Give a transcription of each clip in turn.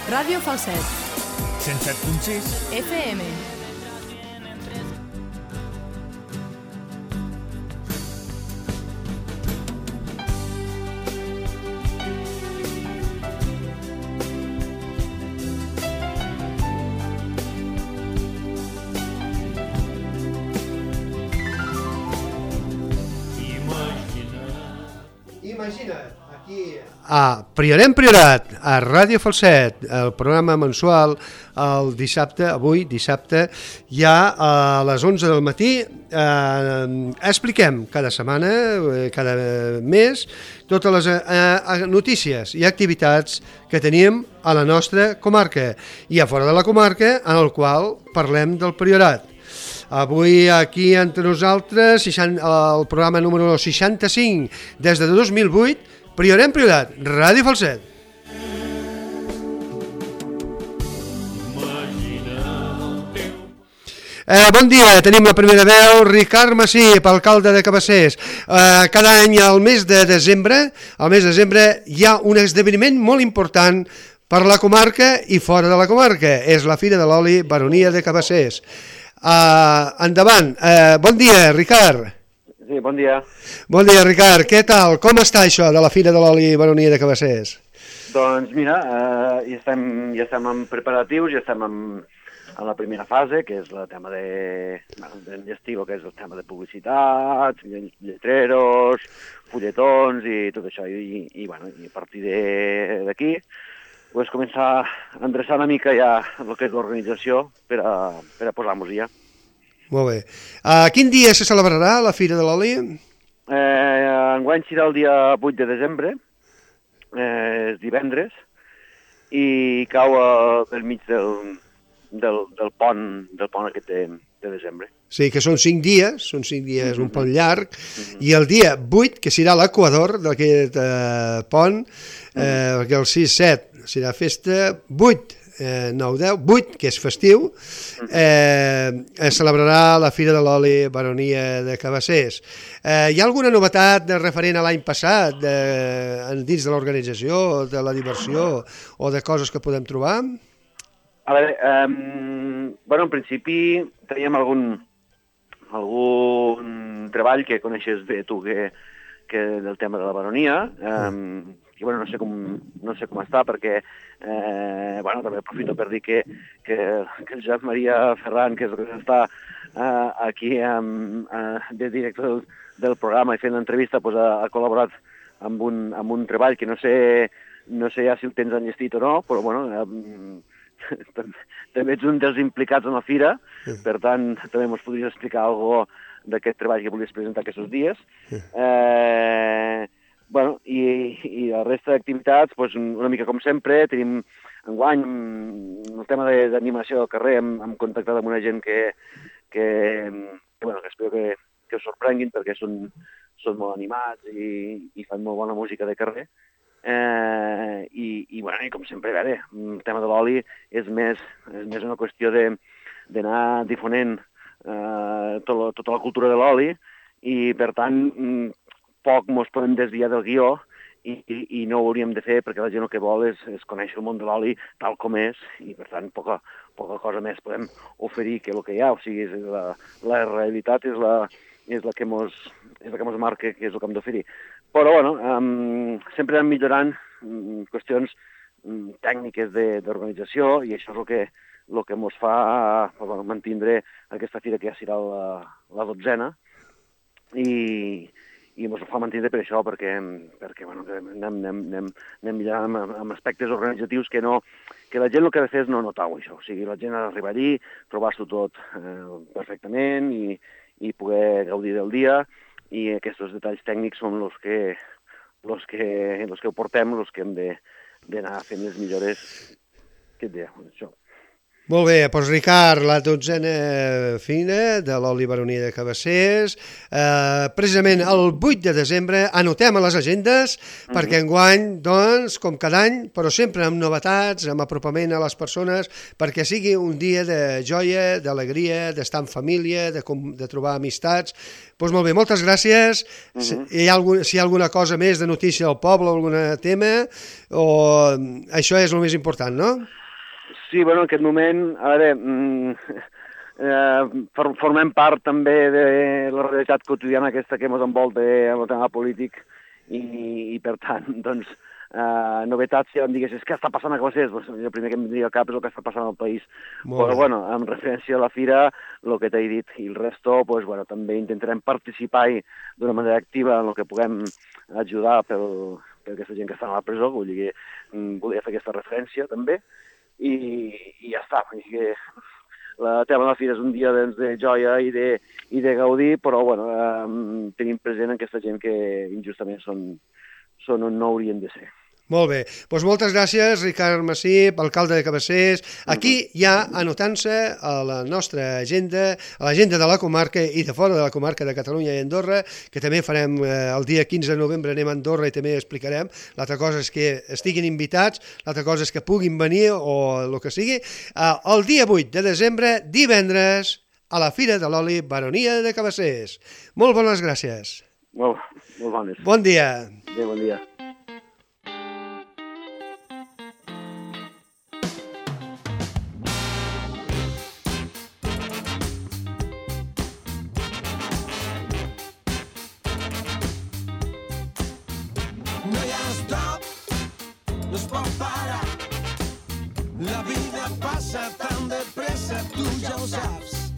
Ràdio Falset. 107.6 FM. Imagina't, aquí a Priorat, a Ràdio Falset, el programa mensual, el dissabte, avui dissabte, ja a les 11 del matí, expliquem cada setmana, cada mes, totes les notícies i activitats que tenim a la nostra comarca i a fora de la comarca, en el qual parlem del Priorat. Avui aquí entre nosaltres, el programa número 65 des de 2008, Priorat, Ràdio Falset. Bon dia, tenim la primera veu, Ricard Massip, alcalde de Cabassers. Cada any al mes de desembre, hi ha un esdeveniment molt important per la comarca i fora de la comarca. És la Fira de l'Oli Baronia de Cabassers. Endavant. Bon dia, Ricard. Sí, bon dia. Bon dia, Ricard. Què tal? Com està això de la Fira de l'Oli Baronia de Cabassers? Doncs mira, ja estem en preparatius, ja estem en la primera fase, que és el tema d'enllestir, que és el tema de publicitats, lletreros, fulletons i tot això. I a partir d'aquí pues, començar a endreçar una mica ja el que és l'organització per a posar-nos ja. Molt bé. Quin dia se celebrarà la Fira de l'Oli? Enguany serà el dia 8 de desembre, és divendres, i cau pel mig del pont aquest de desembre. Sí, que són 5 dies, un pont llarg, i el dia 8, que serà l'equador d'aquest pont, perquè el 6-7 serà festa, 8, 9-10, 8, que és festiu, es celebrarà la Fira de l'Oli Baronia de Cabassers. Hi ha alguna novetat referent a l'any passat dins de l'organització, de la diversió o de coses que podem trobar? A veure, en principi teníem algun treball que coneixes bé tu que del tema de la baronia, i no sé com està, perquè també aprofito per dir que el Josep Maria Ferran, que és el que està aquí de director del programa i fent l'entrevista, ha col·laborat amb un treball que no sé ja si el tens enllestit o no, però també ets un dels implicats en la fira, per tant també ens podries explicar alguna cosa d'aquest treball que volies presentar aquests dies. I la resta d'activitats, una mica com sempre, tenim enguany el tema d'animació del carrer, hem contactat amb una gent que espero que us sorprenguin perquè són molt animats i fan molt bona música de carrer. I com sempre, el tema de l'oli és més una qüestió d'anar difonent tota la cultura de l'oli i, per tant, poc ens podem desviar del guió i no ho hauríem de fer perquè la gent el que vol és conèixer el món de l'oli tal com és i, per tant, poca cosa més podem oferir que el que hi ha. O sigui, la realitat és la que ens marca que és el que hem d'oferir. Però, sempre anem millorant qüestions tècniques d'organització i això és el que ens fa mantindre aquesta fira que ja serà la 12a i ens fa mantindre per això, perquè anem millorant amb aspectes organitzatius que la gent el que ha de fer és no notar-ho, això. O sigui, la gent ha d'arribar allí, trobar-s'ho tot perfectament i poder gaudir del dia, i aquests detalls tècnics són els que ho portem, els que hem d'anar fent les millores aquest dia. Això. Molt bé, doncs Ricard, la 12a fina de l'oli Baronia de Cabassers, precisament el 8 de desembre, anotem a les agendes, perquè enguany, doncs, com cada any, però sempre amb novetats, amb apropament a les persones, perquè sigui un dia de joia, d'alegria, d'estar en família, de trobar amistats. Doncs molt bé, moltes gràcies. Si hi ha alguna cosa més de notícia del poble, algun tema, o això és el més important, no? Sí, bueno, en aquest moment, a veure, formem part també de la realitat quotidiana aquesta que ens envolta amb el tema polític i per tant, doncs, novetats, si em diguessis què està passant a Cabassers, doncs, el primer que em vindria al cap és el que està passant al país. Però, bueno, en referència a la fira, el que t'he dit, i el resto, doncs, bueno, també intentarem participar d'una manera activa en el que puguem ajudar per aquesta gent que està a la presó, vull dir que volia fer aquesta referència també, i ja està. El tema de la fira és un dia de joia i de gaudir, però bueno, tenim present aquesta gent que injustament són on no haurien de ser. Molt bé, doncs moltes gràcies, Ricard Massip, alcalde de Cabassers. Aquí ja anotant-se a la nostra agenda, a l'agenda de la comarca i de fora de la comarca de Catalunya i Andorra, que també farem el dia 15 de novembre, anem a Andorra i també explicarem. L'altra cosa és que estiguin invitats, l'altra cosa és que puguin venir o el que sigui. El dia 8 de desembre, divendres, a la Fira de l'Oli Baronia de Cabassers. Molt bones gràcies. Molt bones. Bon dia. Bon dia. No es pot parar. La vida passa tan de pressa, tu ja ho saps.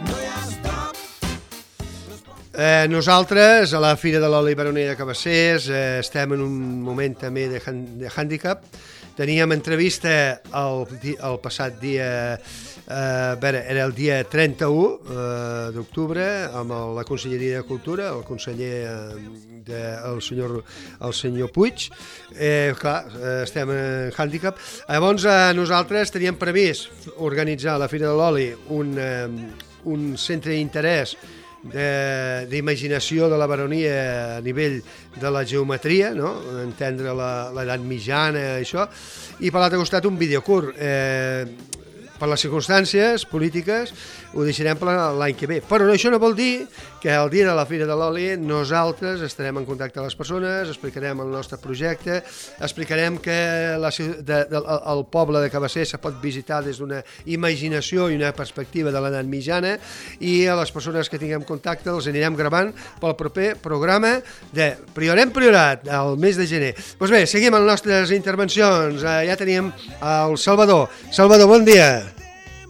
No hi ha stop. Nosaltres, a la Fira de l'Oli Baronia de Cabassers, estem en un moment també de hàndicap. Teníem entrevista el passat dia, era el dia 31 d'octubre, amb la Conselleria de Cultura, el conseller, el senyor Puig. Clar, estem en hàndicap. Llavors, nosaltres teníem previst organitzar a la Fira de l'Oli un centre d'interès d'imaginació de la baronia a nivell de la geometria, no? Entendre l'edat mitjana, això, i per l'altre costat un videocurt. Per les circumstàncies polítiques ho deixarem per l'any que ve. Però això no vol dir que el dia de la Fira de l'Oli nosaltres estarem en contacte amb les persones, explicarem el nostre projecte, explicarem que el poble de Cabassers se pot visitar des d'una imaginació i una perspectiva de l'edat mitjana, i a les persones que tinguem contacte els anirem gravant pel proper programa de Priorem Priorat, el mes de gener. Doncs bé, seguim amb les nostres intervencions. Ja teníem el Salvador. Salvador, bon dia.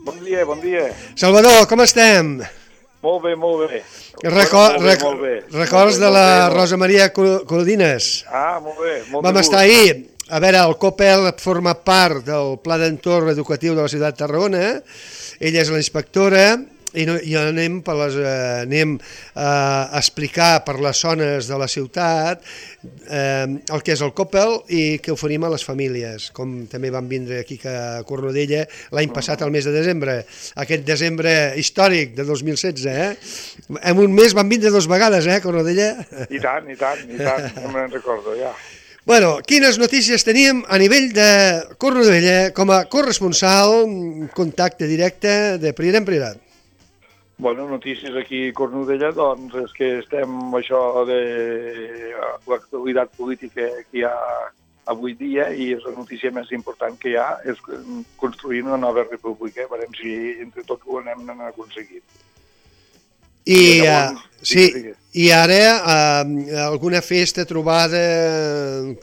Bon dia. Salvador, com estem? Molt bé. Molt bé. Records de la Rosa Maria Codines? Molt bé. Vam estar ahir. A veure, el COPEL forma part del Pla d'Entorn Educatiu de la ciutat de Tarragona. Ella és la inspectora i anem a explicar per les zones de la ciutat el que és el COPEL i què oferim a les famílies, com també van vindre aquí a Cornudella l'any passat, al mes de desembre, aquest desembre històric de 2016, En un mes van vindre 2 vegades, Cornudella? I tant, no me'n recordo, ja. Bueno, quines notícies teníem a nivell de Cornudella com a corresponsal, contacte directe de Priorem Priorat? Bueno, notícies aquí a Cornudella, doncs és que estem amb això de l'actualitat política que hi ha avui dia, i és la notícia més important que hi ha, és construir una nova república, veurem si entre tots ho anem aconseguint. I ara alguna festa, trobada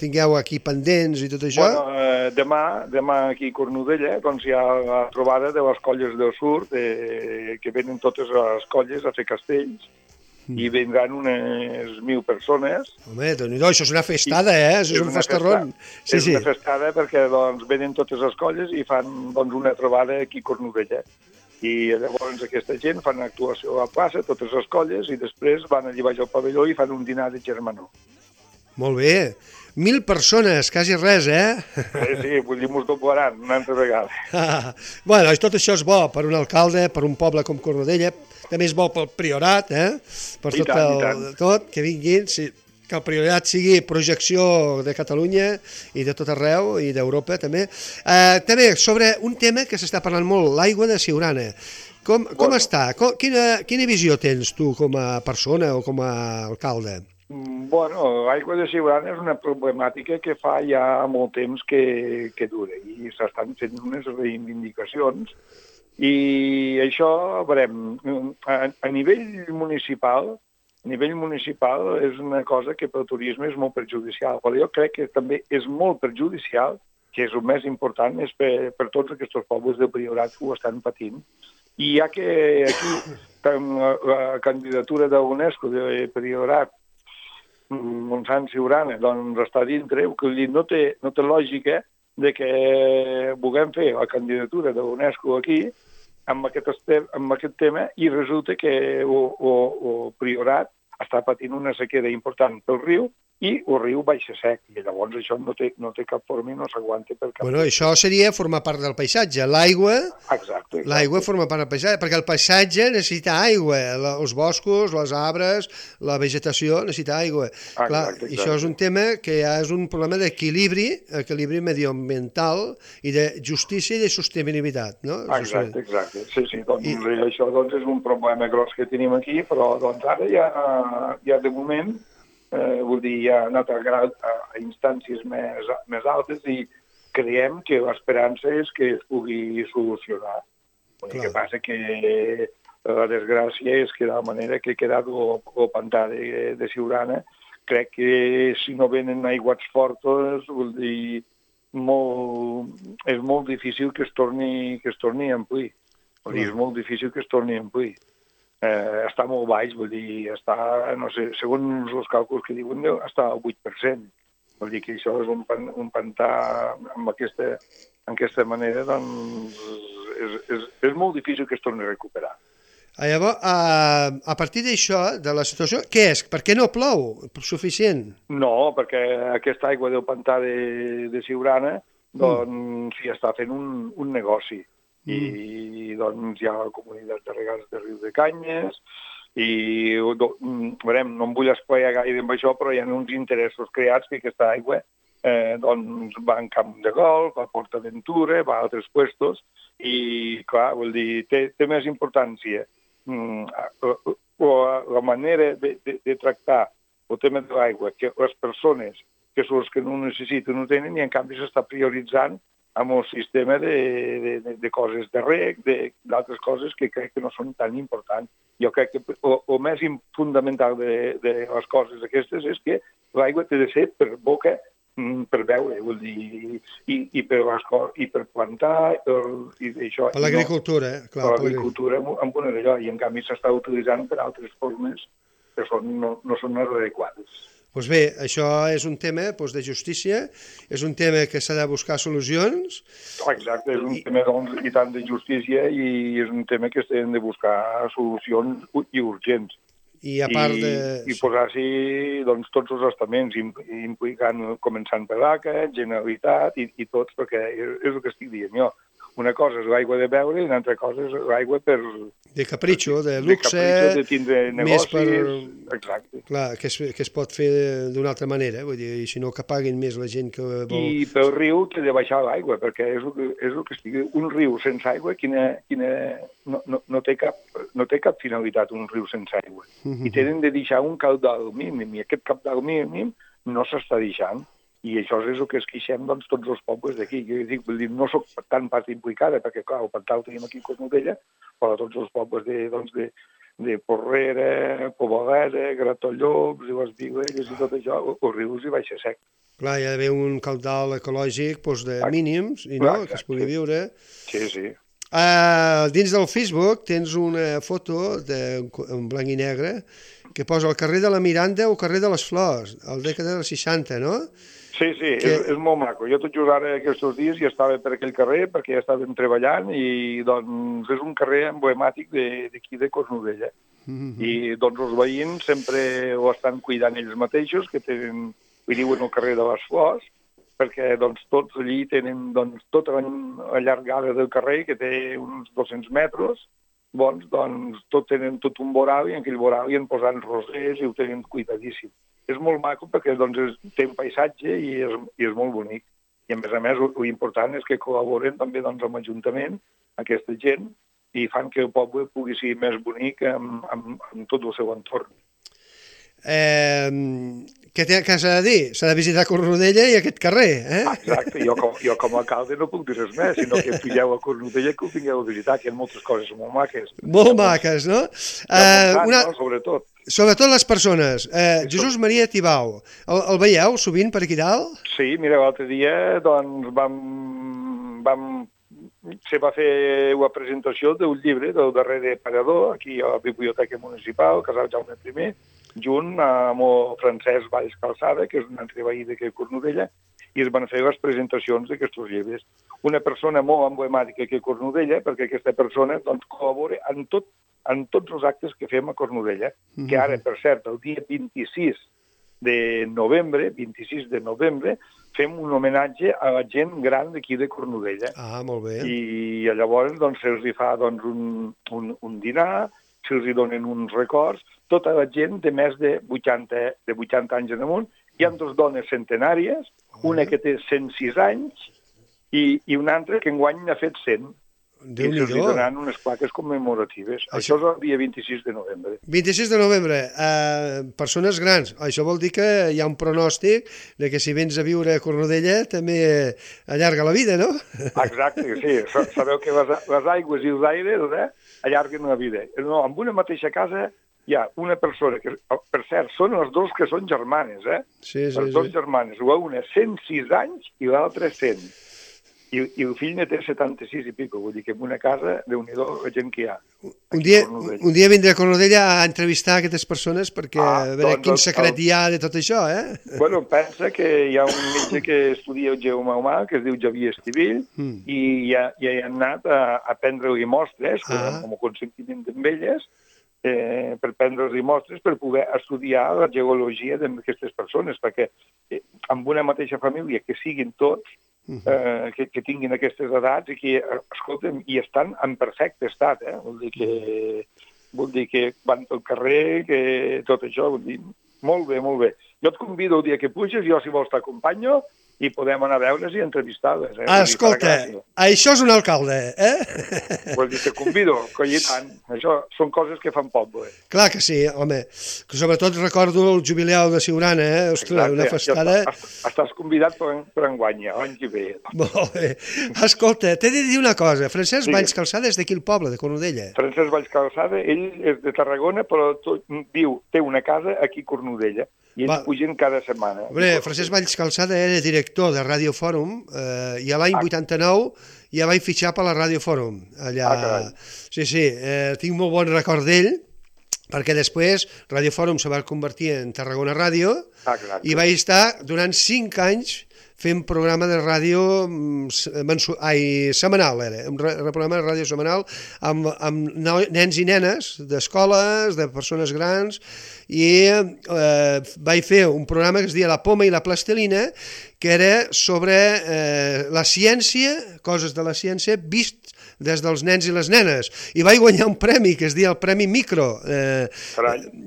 tingueu aquí pendents i tot això? Bueno, demà aquí a Cornudella doncs hi ha la trobada de les colles del sud, que venen totes les colles a fer castells, i vindran unes 1.000 persones. Home, Déu-n'hi-do, això és una festada, Això és un festarrón. És una festada perquè venen totes les colles i fan una trobada aquí a Cornudella. I llavors aquesta gent fan actuació a la plaça, totes les colles, i després van allà baix al pavelló i fan un dinar de germanor. Molt bé. 1.000 persones, quasi res, Sí, vull dir, mos doblaran una altra vegada. Bueno, tot això és bo per un alcalde, per un poble com Cornudella, també és bo pel Priorat, per I tot, tant. tot, que vinguin, que el Priorat sigui projecció de Catalunya i de tot arreu, i d'Europa també. També sobre un tema que s'està parlant molt, l'aigua de Siurana. Com està? Quina visió tens tu com a persona o com a alcalde? Bueno, l'aigua de Siurana és una problemàtica que fa ja molt temps que dura i s'estan fent unes reivindicacions i això, veurem, a nivell municipal és una cosa que pel turisme és molt perjudicial, però jo crec que també és molt perjudicial, que és el més important, és per tots aquests pobles del Priorat que ho estan patint. I ja que aquí la candidatura de l'UNESCO de Priorat Montsant Siurana, doncs està dintre, que no té lògica de que vulguem fer la candidatura de l'UNESCO aquí amb aquest tema i resulta que el Priorat està patint una sequera important pel riu i el riu baixa sec, i llavors això no té cap forma i no s'aguanta per cap... Bueno, això seria formar part del paisatge. Exacte. L'aigua forma part del paisatge, perquè el paisatge necessita aigua, els boscos, les arbres, la vegetació necessita aigua. Clar, i això és un tema que ja és un problema d'equilibri medioambiental i de justícia i de sostenibilitat, no? Exacte. Sí, doncs això és un problema gros que tenim aquí, però doncs ara ja de moment vull dir, ja ha anat a instàncies més altes i creiem que l'esperança és que es pugui solucionar. El que passa que la desgràcia és que de la manera que ha quedat el pantà de Siurana, crec que si no venen aiguats fortes, vull dir, és molt difícil que es torni a omplir. Vull dir, és molt difícil que es torni a omplir. Està molt baix, vull dir, està, no sé, segons els càlculs que diuen, està al 8%. Vull dir que això és un pantà amb aquesta manera, doncs és molt difícil que es torni a recuperar. Llavors, a partir d'això, de la situació, què és? Per què no plou suficient? No, perquè aquesta aigua del pantà de Siurana, doncs, s'hi està fent un negoci. I doncs hi ha la comunitat de regants de Riu de Canyes i veurem, no em vull esplaiar gaire amb això, però hi ha uns interessos creats que aquesta aigua doncs va en Camp de Golf, a PortAventura, va a altres puestos i clar, vol dir, té més importància la manera de tractar el tema de l'aigua, que les persones que són els que no ho necessiten ho tenen i en canvi s'està prioritzant amb el sistema de coses de reg, d'altres coses que crec que no són tan importants. Jo crec que el més fundamental de les coses aquestes és que l'aigua té de ser per boca, per beure, vull dir, i per plantar, i això. Per l'agricultura, clar. Per l'agricultura amb una d'allò, i en canvi s'està utilitzant per altres formes que no són les adequades. Doncs bé, això és un tema de justícia, és un tema que s'ha de buscar solucions. Exacte, és un tema i tant de justícia i és un tema que s'han de buscar solucions i urgents. I a part de... I posar-s'hi doncs, tots els estaments, implicant, començant per l'ACA, Generalitat i tots, perquè és el que estic dient jo. Una cosa és l'aigua de beure i una altra cosa és l'aigua per... De capritxo, de luxe... De tindre negocis... Exacte. Clar, que es pot fer d'una altra manera, vull dir, i si no que paguin més la gent que vol... I pel riu té de baixar l'aigua, perquè és el que estic... Un riu sense aigua, no té cap finalitat un riu sense aigua. I tenen de deixar un caudal mínim, i aquest caudal mínim no s'està deixant. I això és el que es queixem doncs, tots els pobles d'aquí. Jo dic, vull dir, no soc tan part implicada, perquè clar, el pantà el tenim aquí a Cornudella, però tots els pobles de Porrera, Poboleda, Gratollops i les Vilelles i tot això, el riu hi baixa sec. Clar, hi ha d'haver un caudal ecològic de mínims, i no, que es pugui viure. Sí. Dins del Facebook tens una foto en blanc i negre que posa el carrer de la Miranda o el carrer de les Flors, al dècada dels 60, no? Sí, és molt maco. Jo tot just ara aquests dies ja estava per aquell carrer perquè ja estàvem treballant i doncs és un carrer emblemàtic d'aquí de Cornudella. I doncs els veïns sempre ho estan cuidant ells mateixos, que tenen i diuen el carrer de les Flors, perquè doncs, tots allí tenen tota la llargada del carrer, que té uns 200 metres, doncs tenen tot un voral i en aquell voral hi han posat rosers i ho tenen cuidadíssim. És molt maco perquè té un paisatge i és molt bonic. I a més, l'important és que col·laboren també amb l'Ajuntament, aquesta gent, i fan que el poble pugui ser més bonic amb tot el seu entorn. Què s'ha de dir? S'ha de visitar Cornudella i aquest carrer, eh? Exacte, jo com a alcalde no puc dir res més, sinó que pugeu a Cornudella que ho vingueu a visitar, que hi ha moltes coses molt maques. Molt maques, no? Sobretot. Sobretot les persones. Jesús Maria Tibau, el veieu sovint per aquí dalt? Sí, mira, l'altre dia doncs se va fer la presentació d'un llibre del darrer parador, aquí a la Biblioteca Municipal, Casal Jaume I, junt amb el Francesc Valls Calçada, que és un altre veí de Cornudella, i es van fer les presentacions d'aquests llibres. Una persona molt emblemàtica que Cornudella, perquè aquesta persona doncs, col·labora en tots els actes que fem a Cornudella, que ara, per cert, el dia 26 de novembre, fem un homenatge a la gent gran d'aquí de Cornudella. Ah, molt bé. I llavors se'ls fa un dinar, se'ls donen uns records, tota la gent de més de 80 anys en amunt. Hi ha dues dones centenàries, una que té 106 anys i una altra que enguany n'ha fet 100. I se'ls donaran unes plaques commemoratives. Això és el dia 26 de novembre. 26 de novembre. Persones grans. Això vol dir que hi ha un pronòstic de que si vens a viure a Cornudella també allarga la vida, no? Exacte, sí. Sabeu que les aigües i els aires allarguen la vida. No, en una mateixa casa hi ha una persona que, per cert, són les dues que són germanes, Sí. Les dues germanes. Una 106 anys i l'altra 100. I el fill ne té 76 i pico, vull dir que en una casa, Déu-n'hi-do, la gent que hi ha. Un dia vindré a Cornudella a entrevistar aquestes persones perquè a veure quin secret hi ha de tot això, Bueno, pensa que hi ha un metge que estudia el geoma humà, que es diu Javier Estivill, i ja hi han anat a prendre-li mostres, com a consentiment amb elles, per prendre-li mostres per poder estudiar la geologia d'aquestes persones, perquè amb una mateixa família que siguin tots, que tinguin aquestes edats i que, escolta'm, i estan en perfecte estat, Vol dir que van pel carrer, que tot això, vull dir, molt bé, molt bé. Jo et convido el dia que puges, jo si vols t'acompanyo, i podem anar a veure's i entrevistar-les. Escolta, això és un alcalde, Vull dir, te convido, coi i tant. Això són coses que fan poble. Clar que sí, home. Sobretot recordo el jubileu de Siurana, Ostres, una festada... Estàs convidat per enguany, l'any que ve. Molt bé. Escolta, t'he de dir una cosa. Francesc Valls Calçada és d'aquí el poble, de Cornudella. Francesc Valls Calçada, ell és de Tarragona, però té una casa aquí a Cornudella. I ells pugen cada setmana. Francesc Valls Calçada era director de Ràdio Fòrum i a l'any 89 ja vaig fitxar per la Ràdio Fòrum. Sí, tinc molt bon record d'ell perquè després Ràdio Fòrum se va convertir en Tarragona Ràdio i vaig estar durant 5 anys fent programa de ràdio setmanal, un programa de ràdio setmanal amb nens i nenes d'escoles, de persones grans, i vaig fer un programa que es deia La poma i la plastilina, que era sobre la ciència, coses de la ciència, vist des dels nens i les nenes, i vaig guanyar un premi que es deia el Premi Micro.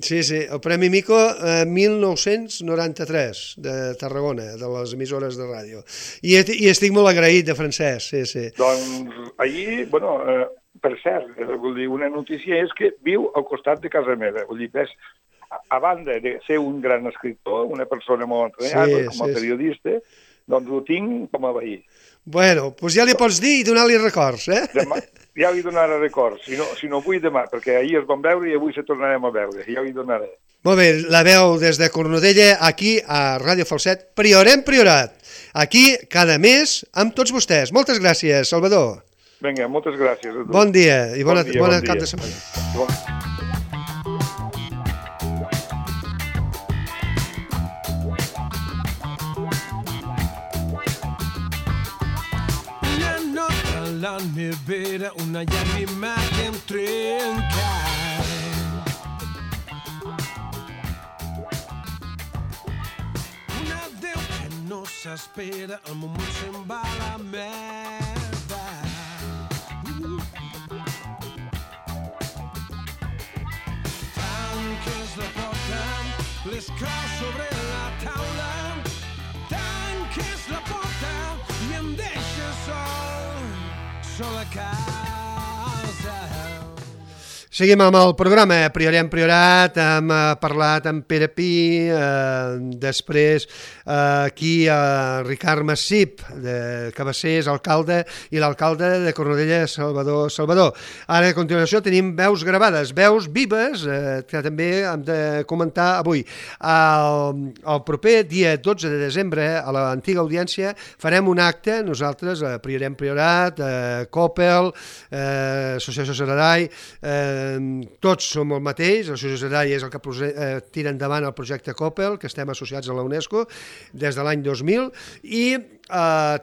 Sí, el Premi Micro 1993 de Tarragona, de les emissores de ràdio. I estic molt agraït de Francesc, sí. Doncs ahir, per cert, vull dir, una notícia és que viu al costat de casa meva, vull dir, a banda de ser un gran escriptor, una persona molt entrenada com a periodista, doncs ho tinc com a veí. Bueno, doncs ja li pots dir i donar-li records, Demà, ja li donaré records, si no vull demà, perquè ahir es van veure i avui se tornarem a veure, ja li donaré. Molt bé, la veu des de Cornudella, aquí a Ràdio Falset, Priorem Priorat, aquí cada mes amb tots vostès. Moltes gràcies, Salvador. Vinga, moltes gràcies a tu. Bon dia i bona cap de setmana. La nevera, una llàgrima que em trenca. Una no s'espera, el moment se'n va a la merda. Tanques la porta, les claus sobre la taula, tanques la porta i em deixes sol a casa. Seguim amb el programa Priorem Priorat, hem parlat amb Pere Pi, després aquí Ricard Massip, que va ser alcalde, i l'alcalde de Cornudella, Salvador. Ara, a continuació, tenim veus gravades, veus vives, que també hem de comentar avui. El proper dia 12 de desembre, a l'antiga audiència, farem un acte, nosaltres, Priorem Priorat, Coppel, Associació Saradai, tots som el mateix, l'Associació Saradai és el que tira endavant el projecte Coppel, que estem associats a la UNESCO des de l'any 2000, i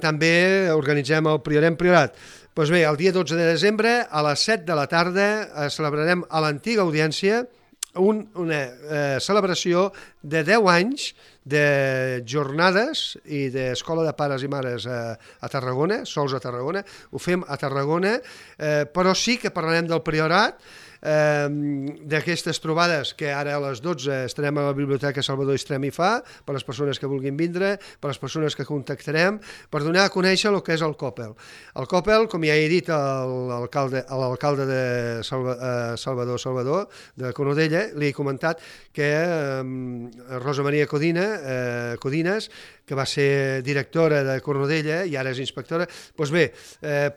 també organitzem el Priorem Priorat. Doncs bé, el dia 12 de desembre, a les 7 de la tarda, celebrarem a l'antiga audiència una celebració de 10 anys de jornades i d'escola de pares i mares a Tarragona, sols a Tarragona. Ho fem a Tarragona, però sí que parlarem del Priorat, d'aquestes trobades que ara a les 12 estarem a la Biblioteca Salvador Istrem i Fa, per les persones que vulguin vindre, per les persones que contactarem, per donar a conèixer el que és el Coppel. El Coppel, com ja he dit a l'alcalde de Salvador, de Cornudella, li he comentat que Rosa Maria Codines, que va ser directora de Cornudella i ara és inspectora, doncs bé,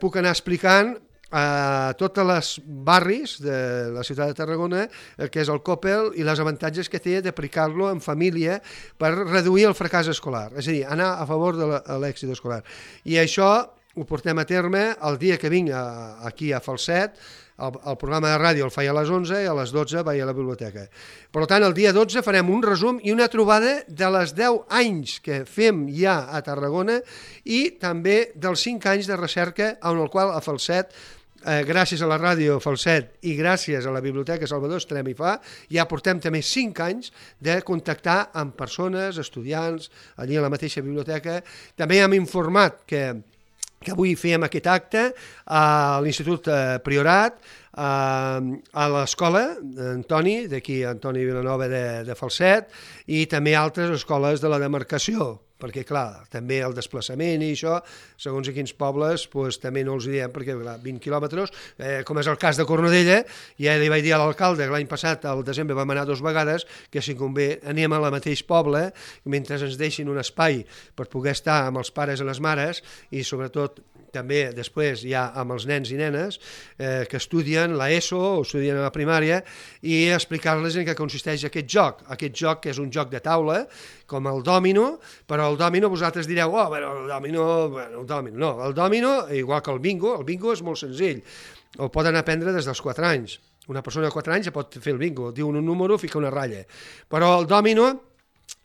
puc anar explicant a tots els barris de la ciutat de Tarragona que és el Coppel i les avantatges que té d'aplicar-lo en família per reduir el fracàs escolar, és a dir, anar a favor de l'èxit escolar. I això ho portem a terme el dia que vinc aquí a Falset. El programa de ràdio el faig a les 11 i a les 12 vaig a la biblioteca. Per tant, el dia 12 farem un resum i una trobada de les 10 anys que fem ja a Tarragona i també dels 5 anys de recerca en el qual a Falset, gràcies a la ràdio Falset i gràcies a la Biblioteca Salvador Istrem i Fa, ja portem també 5 anys de contactar amb persones, estudiants, allí a la mateixa biblioteca. També hem informat que avui fèiem aquest acte a l'Institut Priorat, a l'escola Antoni, d'aquí Antoni Vilanova de Falset, i també altres escoles de la demarcació, perquè, clar, també el desplaçament i això, segons a quins pobles, doncs, també no els diem, perquè, clar, 20 quilòmetres, com és el cas de Cornudella, ja li vaig dir a l'alcalde que l'any passat, al desembre, vam anar 2 vegades, que si convé anem al mateix poble, mentre ens deixin un espai per poder estar amb els pares i les mares, i sobretot també després ja amb els nens i nenes que estudien l'ESO o estudien a la primària i explicar-les en què consisteix aquest joc que és un joc de taula com el dòmino, però el dòmino vosaltres direu, el dòmino, igual que el bingo és molt senzill, el poden aprendre des dels 4 anys. Una persona de 4 anys ja pot fer el bingo, diu un número, fica una ratlla, però el dòmino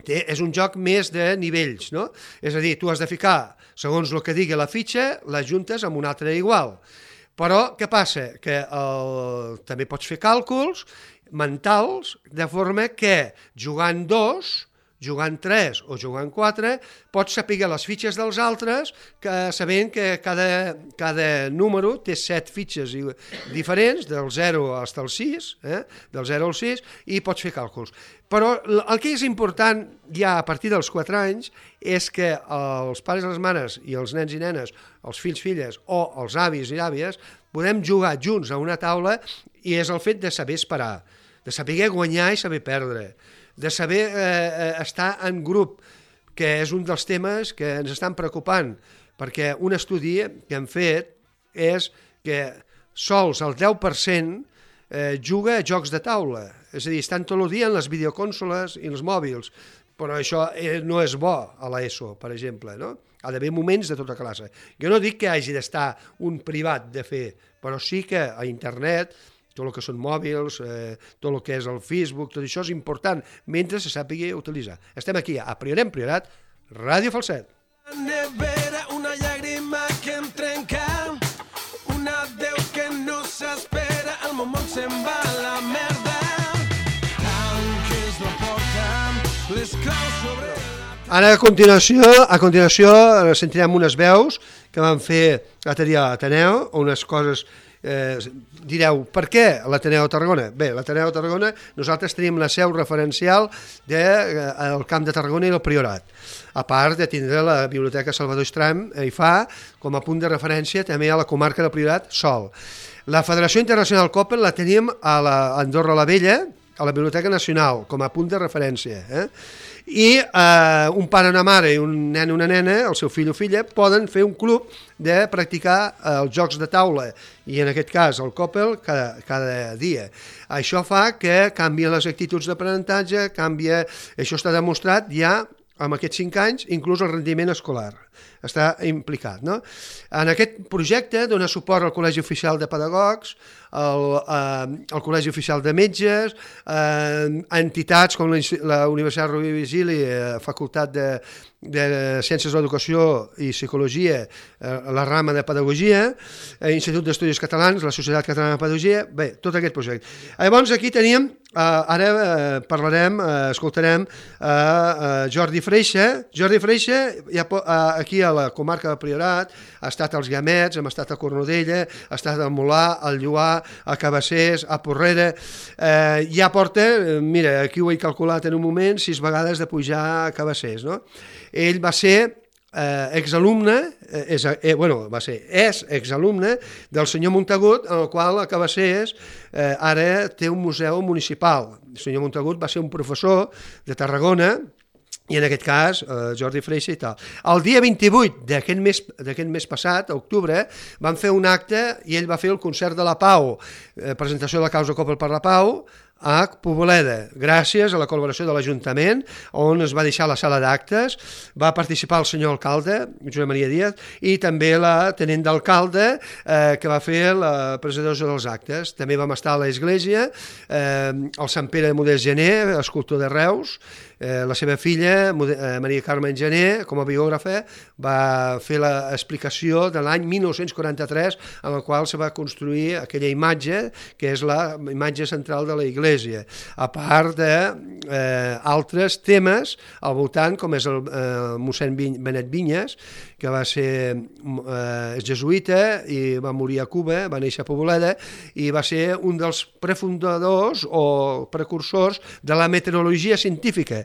és un joc més de nivells, no? És a dir, tu has de ficar, segons el que digui la fitxa, les juntes amb un altre igual. Però què passa? Que també pots fer càlculs mentals de forma que jugant 2, jugant 3 o jugant 4, pots saber les fitxes dels altres, sabent que cada número té 7 fitxes diferents, del 0 fins al 6, del 0 al 6, i pots fer càlculs. Però el que és important ja a partir dels 4 anys és que els pares i les mares i els nens i nenes, els fills, filles o els avis i àvies podem jugar junts a una taula i és el fet de saber esperar, de saber guanyar i saber perdre, de saber estar en grup, que és un dels temes que ens estan preocupant, perquè un estudi que hem fet és que sols el 10% juga a jocs de taula, és a dir, estan tot el dia en les videocònsoles i els mòbils, però això no és bo a l'ESO, per exemple, no? Ha d'haver moments de tota classe. Jo no dic que hagi d'estar un privat de fer, però sí que a internet, tot el que són mòbils, tot el que és el Facebook, tot això és important, mentre se sàpiga utilitzar. Estem aquí a Priorem Priorat, Ràdio Falset. Nevera, una llàgrima que em trenca, un adeu que no s'espera, el moment se'n va a la merda. Tanques la porta, les claus sobre la taula. Ara, a continuació sentirem unes veus que van fer l'altre dia a l'Ateneu, unes coses, direu, per què l'Ateneu de Tarragona? Bé, l'Ateneu de Tarragona, nosaltres tenim la seu referencial del Camp de Tarragona i el Priorat, a part de tindre la Biblioteca Salvador Estram i fa com a punt de referència també a la comarca del Priorat sol. La Federació Internacional Coppel la tenim a Andorra la Vella, a la Biblioteca Nacional, com a punt de referència. I un pare, una mare i un nen o una nena, el seu fill o filla, poden fer un club de practicar els jocs de taula, i en aquest cas el Coppel cada dia. Això fa que canvien les actituds d'aprenentatge, això està demostrat ja amb aquests 5 anys, inclús el rendiment escolar està implicat. No? En aquest projecte dona suport al Col·legi Oficial de Pedagogs, al Col·legi Oficial de Metges, entitats com la Universitat Rovira i Virgili, Facultat de Ciències de l'Educació i Psicologia, la rama de Pedagogia, Institut d'Estudis Catalans, la Societat Catalana de Pedagogia, bé, tot aquest projecte. Llavors aquí teníem, ara escoltarem Jordi Freixa. Jordi Freixa, aquí a la comarca del Priorat, ha estat als Guiamets, hem estat a Cornudella, ha estat al Molar, al Lloar, a Cabassers, a Porrera, ja porta, mira, aquí ho he calculat en un moment, 6 vegades de pujar a Cabassers, no? Ell va ser exalumne, és exalumne del senyor Montagut, en el qual a Cabassers ara té un museu municipal. El senyor Montagut va ser un professor de Tarragona, i en aquest cas Jordi Freixa i tal. El dia 28 d'aquest mes passat, a octubre, van fer un acte i ell va fer el concert de la Pau, presentació de la causa Coppel per la Pau, a Poboleda, gràcies a la col·laboració de l'Ajuntament, on es va deixar la sala d'actes, va participar el senyor alcalde, Josep Maria Díaz, i també la tenent d'alcalde, que va fer la presentació dels actes. També vam estar a l'església, el Sant Pere de Modest Gener, escultor de Reus, la seva filla, Maria Carmen Gener, com a biògrafa, va fer l'explicació de l'any 1943, en el qual se va construir aquella imatge, que és la imatge central de la iglesia, a part d'altres temes al voltant, com és el mossèn Benet Vinyes, que va ser jesuïta i va morir a Cuba, va néixer a Poboleda, i va ser un dels prefundadors o precursors de la meteorologia científica,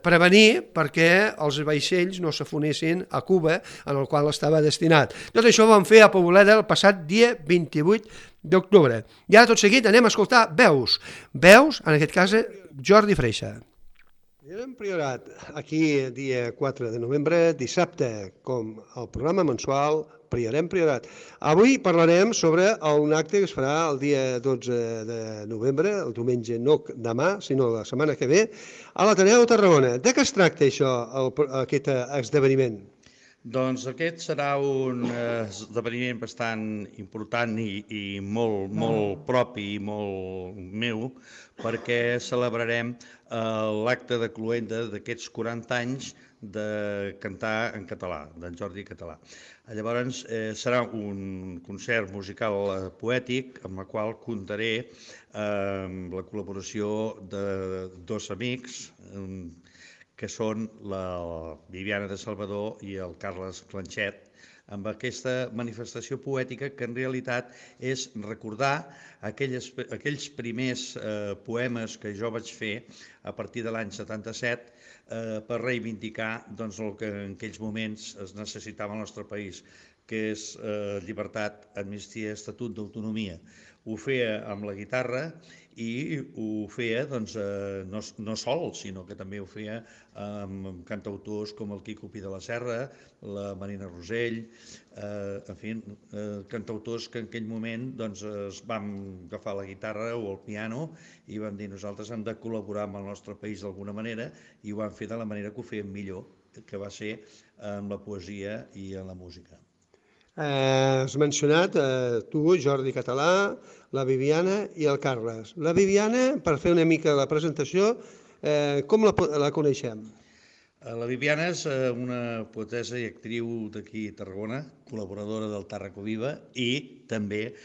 prevenir perquè els vaixells no s'afonessin a Cuba, en el qual estava destinat. Tot això ho vam fer a Poboleda el passat dia 28 d'octubre. I ara tot seguit anem a escoltar veus, en aquest cas Jordi Freixa. Priorat Priorat, aquí dia 4 de novembre, dissabte, com el programa mensual Priorem Priorat. Avui parlarem sobre un acte que es farà el dia 12 de novembre, el diumenge no demà, sinó la setmana que ve, a l'Ateneu de Tarragona. De què es tracta això, aquest esdeveniment? Doncs aquest serà un esdeveniment bastant important i molt propi i molt meu, perquè celebrarem l'acte de cloenda d'aquests 40 anys de cantar en català, d'en Jordi Català. Llavors serà un concert musical poètic amb el qual comptaré amb la col·laboració de 2 amics, que són la Viviana de Salvador i el Carles Clanxet, amb aquesta manifestació poètica que en realitat és recordar aquells primers poemes que jo vaig fer a partir de l'any 77 per reivindicar el que en aquells moments es necessitava al nostre país, que és llibertat, amnistia, estatut d'autonomia. Ho feia amb la guitarra i ho feia no sol, sinó que també ho feia amb cantautors com el Quico Pi de la Serra, la Marina Rosell, en fi, cantautors que en aquell moment es van agafar la guitarra o el piano i van dir nosaltres hem de col·laborar amb el nostre país d'alguna manera i ho van fer de la manera que ho feien millor, que va ser amb la poesia i amb la música. Has mencionat tu, Jordi Català, la Viviana i el Carles. La Viviana, per fer una mica la presentació, com la coneixem? La Viviana és una poetessa i actriu d'aquí a Tarragona, col·laboradora del Tàrraco Viva i també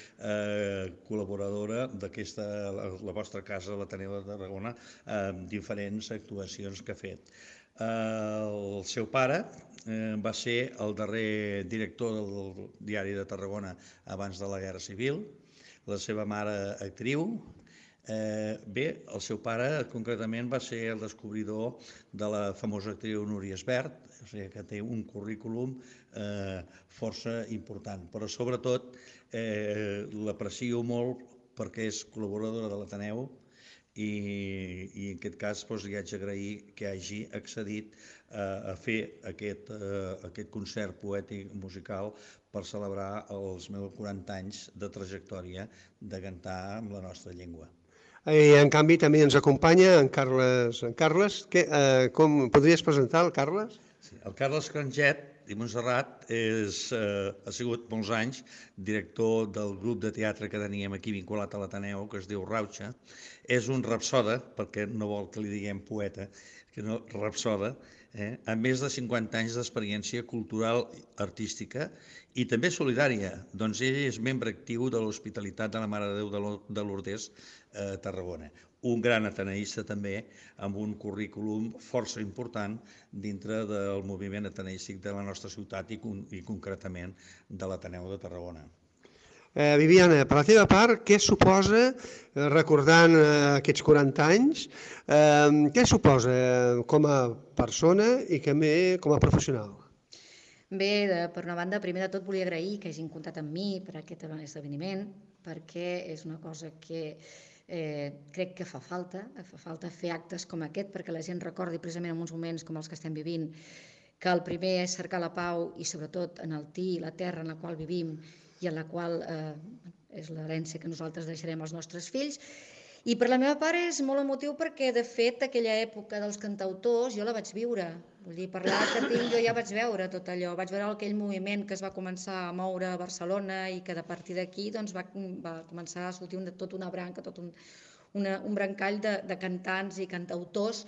col·laboradora d'aquesta, la vostra casa, l'Ateneu de Tarragona, amb diferents actuacions que ha fet. El seu pare va ser el darrer director del Diari de Tarragona abans de la Guerra Civil, la seva mare actriu. Bé, el seu pare concretament va ser el descobridor de la famosa actriu Núria Esbert, o sigui que té un currículum força important, però sobretot l'aprecio molt perquè és col·laboradora de l'Ateneu i en aquest cas li haig d'agrair que hagi accedit a fer aquest concert poètic musical per celebrar els meus 40 anys de trajectòria de cantar amb la nostra llengua. I en canvi també ens acompanya en Carles. En Carles, com podries presentar el Carles? Sí, el Carles Cranget i Montserrat ha sigut molts anys director del grup de teatre que teníem aquí vinculat a l'Ateneu, que es diu Rauxa. És un rapsoda, perquè no vol que li diguem poeta, que no, rapsoda, amb més de 50 anys d'experiència cultural, artística i també solidària. Doncs ell és membre actiu de l'Hospitalitat de la Mare de Déu de Lourdes a Tarragona. Un gran ateneista també, amb un currículum força important dintre del moviment ateneístic de la nostra ciutat i concretament de l'Ateneu de Tarragona. Viviana, per la teva part, què suposa, recordant aquests 40 anys, què suposa com a persona i també com a professional? Bé, per una banda, primer de tot volia agrair que hagin comptat amb mi per aquest esdeveniment, perquè és una cosa que crec que fa falta fer actes com aquest, perquè la gent recordi precisament en uns moments com els que estem vivint, que el primer és cercar la pau i sobretot enaltir la terra en la qual vivim i en la qual és l'herència que nosaltres deixarem als nostres fills. I per la meva part és molt emotiu perquè, de fet, aquella època dels cantautors jo la vaig viure. Vull dir, per l'edat que tinc jo ja vaig veure tot allò. Vaig veure aquell moviment que es va començar a moure a Barcelona i que de partir d'aquí va començar a sortir tota una branca, tot un brancall de cantants i cantautors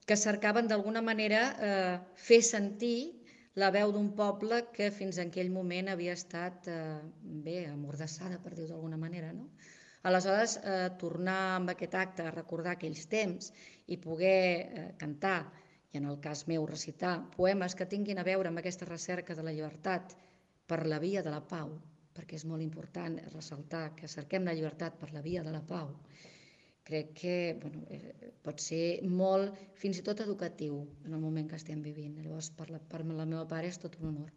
que cercaven d'alguna manera fer sentir la veu d'un poble que fins en aquell moment havia estat amordassada, per dir-ho d'alguna manera, no? Aleshores, tornar amb aquest acte a recordar aquells temps i poder cantar, i en el cas meu recitar, poemes que tinguin a veure amb aquesta recerca de la llibertat per la via de la pau, perquè és molt important ressaltar que cerquem la llibertat per la via de la pau, crec que pot ser molt, fins i tot educatiu, en el moment que estem vivint. Llavors, per la meva part, és tot un honor.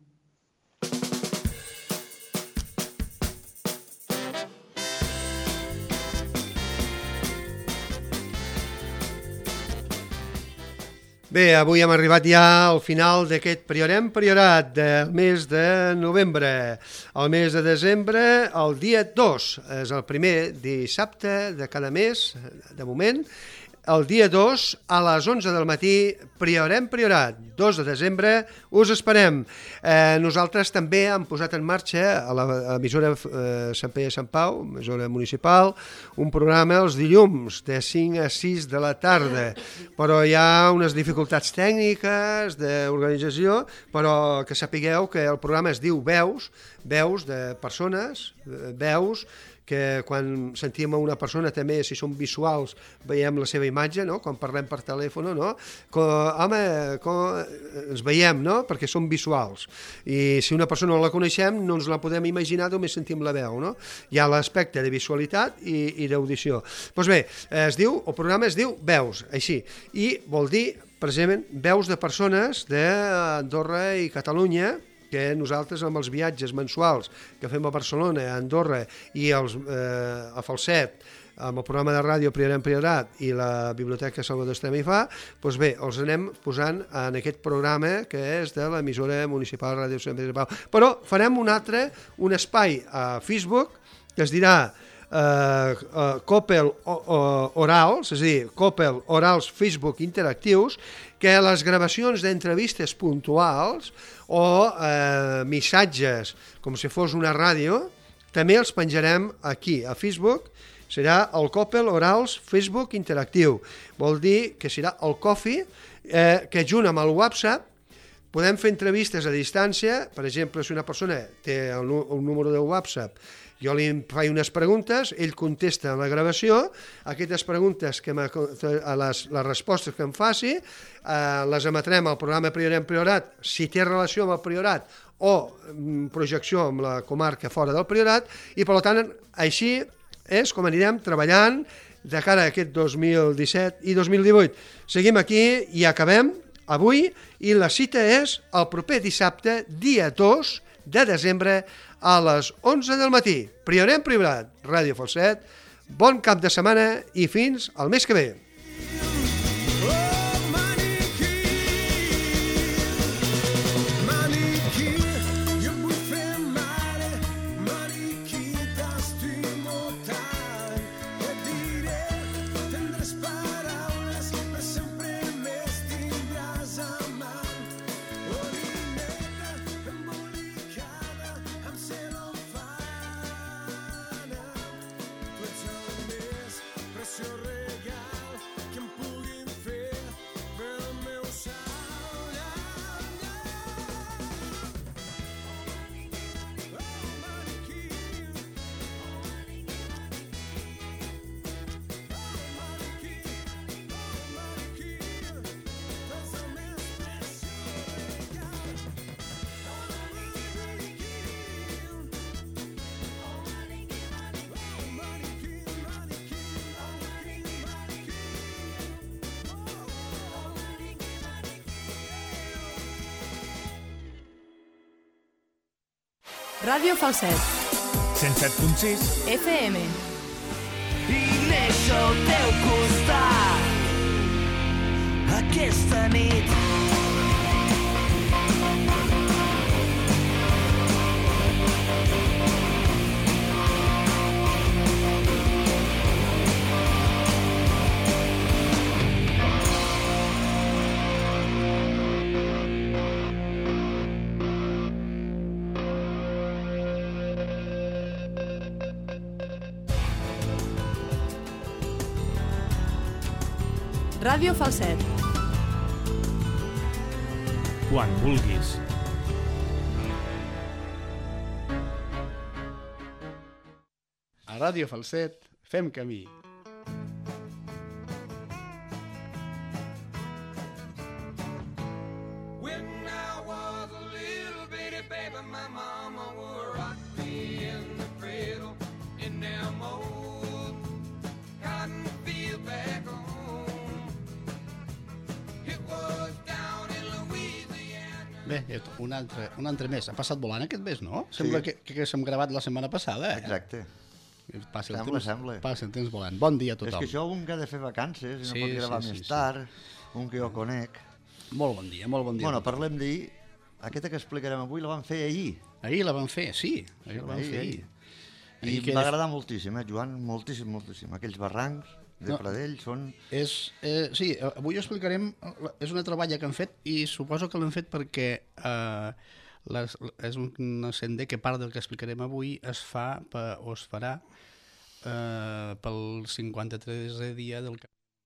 Bé, avui hem arribat ja al final d'aquest Priorem Priorat del mes de novembre. El mes de desembre, el dia 2, és el primer dissabte de cada mes, de moment. El dia 2, a les 11 del matí, Priorem Priorat, 2 de desembre, us esperem. Nosaltres també hem posat en marxa a l'emissora Sant Pere Sant Pau, emissora municipal, un programa els dilluns de 5 a 6 de la tarda, però hi ha unes dificultats tècniques d'organització, però que sapigueu que el programa es diu Veus de persones, veus, que quan sentim a una persona també, si són visuals, veiem la seva imatge, no? Quan parlem per telèfon, no? Ens veiem, no? Perquè són visuals. I si una persona no la coneixem, no ens la podem imaginar, només sentim la veu, no? Hi ha l'aspecte de visualitat i d'audició. Doncs bé, el programa es diu Veus, així, i vol dir, precisament, veus de persones d'Andorra i Catalunya, que nosaltres amb els viatges mensuals que fem a Barcelona, a Andorra i a Falset, amb el programa de ràdio Priorem Priorat i la Biblioteca Salvador Estrema i Fa, doncs bé, els anem posant en aquest programa que és de l'emissora municipal Ràdio Sant Pere de Pau. Però farem un espai a Facebook que es dirà Coppel Orals, és a dir, Coppel Orals Facebook Interactius, que les gravacions d'entrevistes puntuals o missatges com si fos una ràdio també els penjarem aquí a Facebook. Serà el Coppel Orals Facebook Interactiu, vol dir que serà el Coffee, que junt amb el WhatsApp Podem fer entrevistes a distància, per exemple, si una persona té un número de WhatsApp, jo li faig unes preguntes, ell contesta en la gravació, aquestes preguntes, les respostes que em faci, les emetrem al programa Priorat, si té relació amb el Priorat o projecció amb la comarca fora del Priorat, i per tant, així és com anirem treballant de cara a aquest 2017 i 2018. Seguim aquí i acabem avui, i la cita és el proper dissabte, dia 2 de desembre, a les 11 del matí. Priorat, Ràdio Falset, bon cap de setmana i fins al mes que ve. Ràdio Falset 107.6 FM. I néixer al teu costat aquesta nit. Ràdio Falset. Quan vulguis. A Ràdio Falset fem camí. Bé, un altre mes. Ha passat volant aquest mes, no? Sembla que s'hem gravat la setmana passada, eh? Exacte. Sembla. Passa el temps volant. Bon dia a tothom. És que això un que ha de fer vacances i no pot gravar més tard, un que jo conec. Molt bon dia. Bueno, parlem d'ahir. Aquesta que explicarem avui la vam fer ahir. Ahir la vam fer, sí. I em va agradar moltíssim, Joan, moltíssim. Aquells barrancs de Pradell són... Sí, avui ho explicarem, és una troballa que hem fet i suposo que l'hem fet perquè és un sender que part del que explicarem avui es fa o es farà pel 53è dia del